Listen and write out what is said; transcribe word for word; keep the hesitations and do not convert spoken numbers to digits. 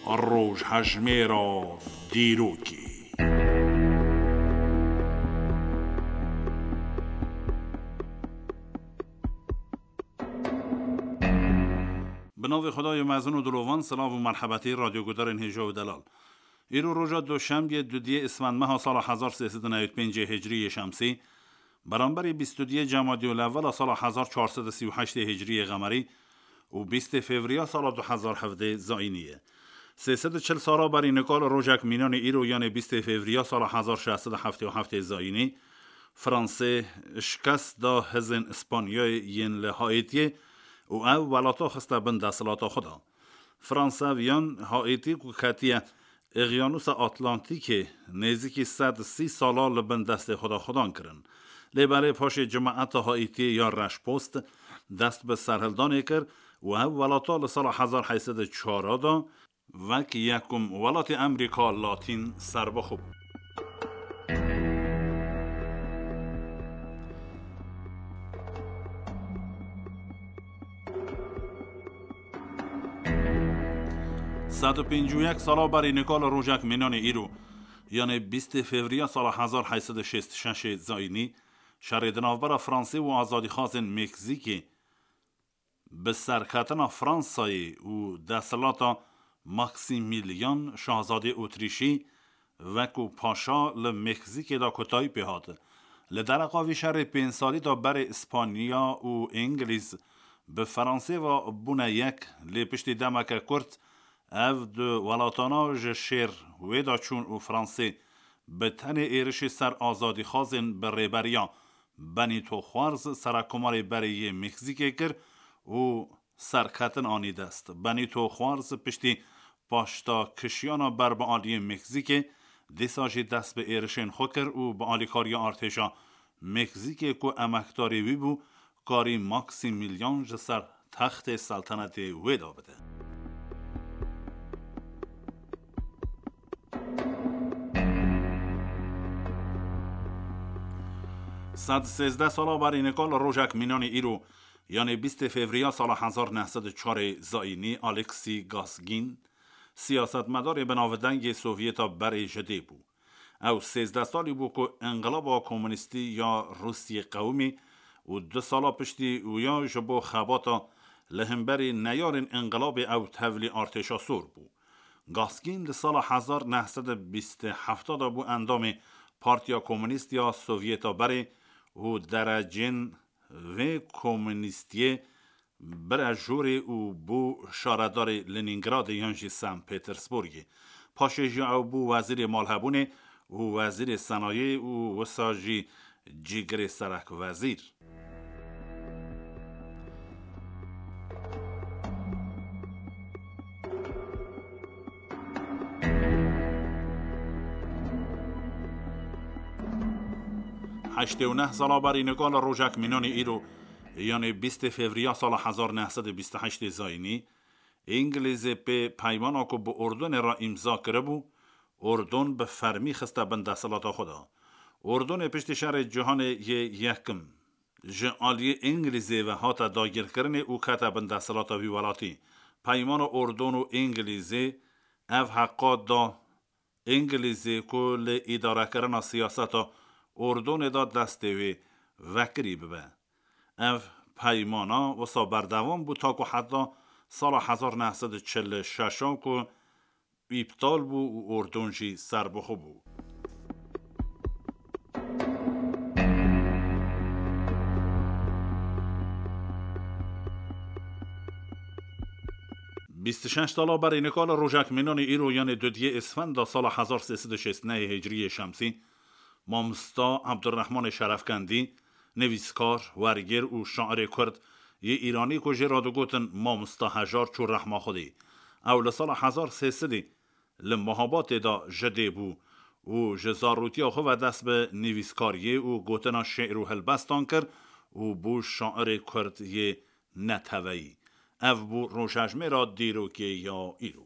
Rojhejmêra dîrokê. Bi navê Xwedayê mezin û dilovan, silav û merhebetî radyogudarên hêja û delal. Îro roja doşembiyê, dudiyê îsfendmeha sala hezar sê sed û newî pêncê hicriyê şemsî, beramberî bîst û duyê cemadiyê lewela sala hezar çar sed û sî û heştê hicriyê qemerî û bîstê fevriya sala du hezar hevdê zayînî ye. Sê sed û çil sala berî nika li rojek mînanê îro, yanê bîstê fevriya sala hezar şeş sed û heftê û heftê zayînî, Fransê şikest da hizên Îspanyayê yên li Haîtiyê û ew welata xiste bin desthilata xwe de. Fransa viyan Haîtî ku ketiye Îqyanûsa Atlantîkê, nêzîkî sed sî sala li bin destê xwe de xwedan kirin. Lê belê paşê cemaeta Haîtiyê ya reşpost dest bi serhildanê kir û ev welata li sala hezar heyt sed û çar de wek yekum welatê Amerîka Latîn serbixwe bû. Sed û pêncî û yek sala berî nika li rojek mînanê îro, yanê bîstê fevriya sala hezar heyt sed û şêst û şeş zayînî, şerê di navbera Fransê û azadîxwazên Meksîkê bi serketina Fransayê û desthilata Maksimîlyan, şahzadê Otrîşî, wekû paşa li Meksîkê de kotayî pê hat. Li dereqa vî şerê pênc salî de berê Îspanya û Îngilîz bi Fransê ve bûne yek, lê piştî demeke kurt ev du welatana ji şêr wê de çûn û Fransê bi tenê êrişê ser azadîxwazên bi rêberiya Benîto Xwarz, serekkomarê berê yê Meksîkê, kir û serketin anî dest. Benîto Xwarz piştî paştakişiyana ber bi aliyê Meksîkê, dîsa jî dest bi êrişên xwe kir û bi alîkariya artêşa Meksîkê ku emekdarê wî bû, karî Maksimîlyan ji ser textê seltenetê wê de bide. Sed sêzdeh sala berî nika li rojek mînanê îro, yanê bîstê fevriya sala hezar neh sed û çarê zayînî, Alexis Gaskin, siyasetmedarê bi navdengê Sovyeta berê ji dê bû. Ew sêzdeh salî bû ku înqilaba komunîstî ya Rûsiyê qewimî û du sala piştî wî ya ji bo xebata li hemberî neyarên înqilabê ew tevlî artêşa sor bû. Gaskin di sala hezar neh sed û bîst û heft de bû endamê Partiya Komunîst ya Sovyeta berê û derecên vê komunîstiyê bire jorê û bû şaredarê Lenîngradê yan jî Sen Petersburgê. Paşê jî ew bû wezîrê malhebûnê û wezîrê senayê û wisa jî cîgirê serek wezîr. Heştê û neh sala berî nika li rojek mînanê îro, yanê bîstê fevriya sala hezar neh sed û bîst û heştê zayînî, Îngilîzê pê peymana ku bi Urdunê re îmza kiribû, Urdun bi fermî xiste bin desthilata xwe de. Urdunê piştî şerê cîhanê yê yekim ji aliyê Îngilîzê ve hate dagirkirinê û kete bin desthilata vî welatî. Peymana Urdun û Îngilîzê ev heqa da Îngilîzê ku li îdarekirina siyaseta Urdunê de destê wê vekirî bibe. Ev peymana wisa berdewam bû ta ku heta sala hezar neh sed û çil û şeş ku îptal bû û Urdun jî serbixwe bû. Bîst û şeş sala berî nika li rojek mînanê îro, yanê dudiyê Îsfenda sala hezar sê sed û şêst û nehê hicriyê şemsî, mamosta Ebdurrehmanê Şerefkendî, nivîskar, wergêr û şairê kurd yê Îranî ku jê re digotin Mamosta Hejar, çû rehma Xwedê. Ew li sala hezar sê sedî li Mehabatê de ji dê bû û ji zarûtiya xwe ve dest bi nivîskariyê û gotina şê'r û helbestan kir û bû şairê kurd yê neteweyî. Ev bû rojhejmêra dîrokê ya îro.